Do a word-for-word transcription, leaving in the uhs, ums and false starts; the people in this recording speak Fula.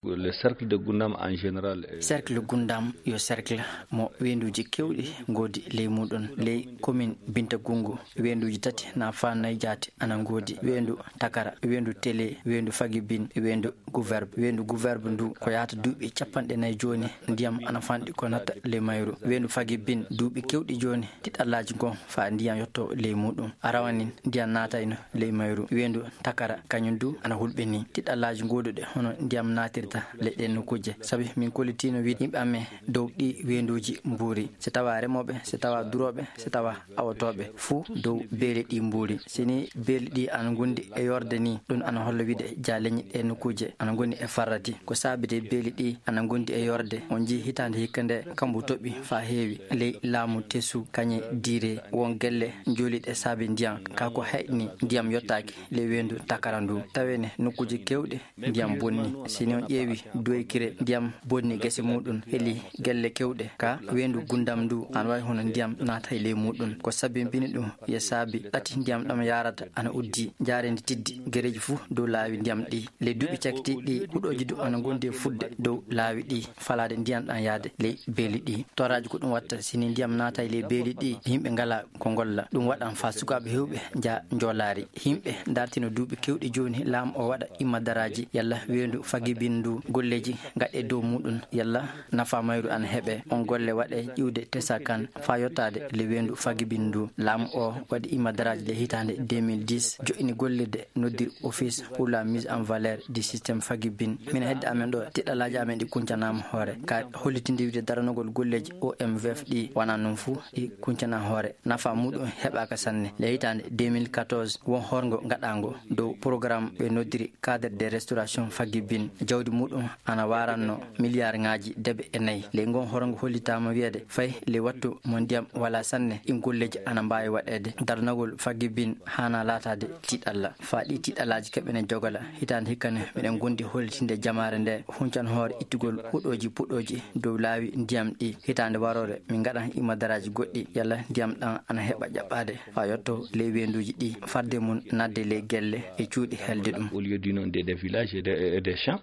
Le cercle de Gundam en général. Cercle Gundam yo cercle mo weenduuji keewɗi ngoodi ley muuɗum. Ley commune Binta Gungu, weenduuji tati na faanay jaati ana ngoodi: weendu Takara, weendu Tele, weendu Fagibin, weendu Guverbe. Weendu Guverbe ndu ko yahata duuɓi capanɗe nayi jooni, ndiyam ana fanɗi ko natta ley mayru. Weendu Fagibin, duuɓi keewɗi jooni, tiɗallaaji ngon faa ndiyam yotto ley muuɗum. A rawanin ndiyam naatayno ley mayru. Weendu Takara, kañum du ana hulɓinii. Tiɗallaaji ngooduɗe hono ndiyam naatirta ley ɗeen nokkuuje. Sabi min kollitiino wiide yimɓe amen dow ɗii weenduuji mbuuri. Si tawa remooɓe, si tawa durooɓe, si tawa awotooɓe, fuu dow beeli ɗii mbuuri. Si ni beeli ɗii ana ngondi e yorde ni, ɗum ana holla wiide jaaleñi ɗee nokkuuje ana ngoni e farrati. Ko saabi de beeli ɗii ana ngondi e yorde? On njii hitaande hikka nde kambu toɓi faa heewi ley laamu Tesu, kañe Diire, won gelle njooliiɗe saabi ndiyam. Kaa ko hayɗini ndiyam yottaaki ley weendu Takara ndu. Tawene nokkuuje keewɗe ndiyam bonni. Si ni on ƴeewi Duwaykire, ndiyam bonni gese muuɗum, heli gelle keewɗe. Ka weendu Gundam ndu, ana waawi hono ndiyam naatay ley muuɗum. Ko sabbini ɗum? Yo saabi ɗati ndiyam ɗam yaarata ana uddi, njaareendi tiddi, gereeji fuu dow laawi ndiyam ɗi. Ley duuɓi cakkitiiɗi ɗi, huɗooji du ana ngondi e fudde dow laawi ɗi, falaade ndiyam ɗam yaade ley beeli ɗi. Toraaji ko ɗum watta, si ni ndiyam naatay ley beeli ɗi, yimɓe ngalaa ko ngolla. Ɗum waɗan faa sukaaɓe heewɓe njaa njoolaari. Yimɓe ndartino duuɓi keewɗi jooni laamu o waɗa imma daraaji yalla weendu Fagibin ndu, golleeji ngaɗe dow muuɗum yalla nafaa mayru ana heɓe. On golle waɗe iwde Tesa Kan faa yottaade le weendu Fagibin ndu. Laamu o waɗi imma daraaji le hitaande deux mille dix, joɗɗini gollirde noddir Office pour la mise en valeur du système Fagibin. Min hedde amen ɗo, tiɗalaaji amen ɗi kuncanaama hoore. Ka hollitinde wiide daranogol golleeji O M V F ɗi wonaa noon fuu ɗi kuncana hoore. Nafa muuɗum heɓaaka sanne. Le hitaande deux mille quatorze, won horngo ngaɗaango dow programme ɓe noddiri Cadre de restauration Fagibin. Jawdi muuɗum ana waaranno miliyaarŋaaji deɓe e nayi. Le ngon horngo hollitaama wiyeede fay le wattu mo ndiyam wala sanne, ɗin golleeji ana mbaawi waɗeede. Daranogol Fagibin haana laataade tiiɗalla. Faa ɗi tiiɗallaaji keɓene jogala. Hitaande hikka ne, miɗen gondi hollitinde jamaare nde huncan hoore ittugol huɗooji puɗooji dow laawi ndiyam ɗi. Hitaande waroore, min ngaɗan imma daraaji goɗɗi, yalla ndiyam ɗam ana heɓa ƴaɓɓaade faa yotto ley weenduuji ɗi, farde mum naatde ley gelle e cuuɗi helde ɗum. Au lieu du nom des, des villages et des, et des champs.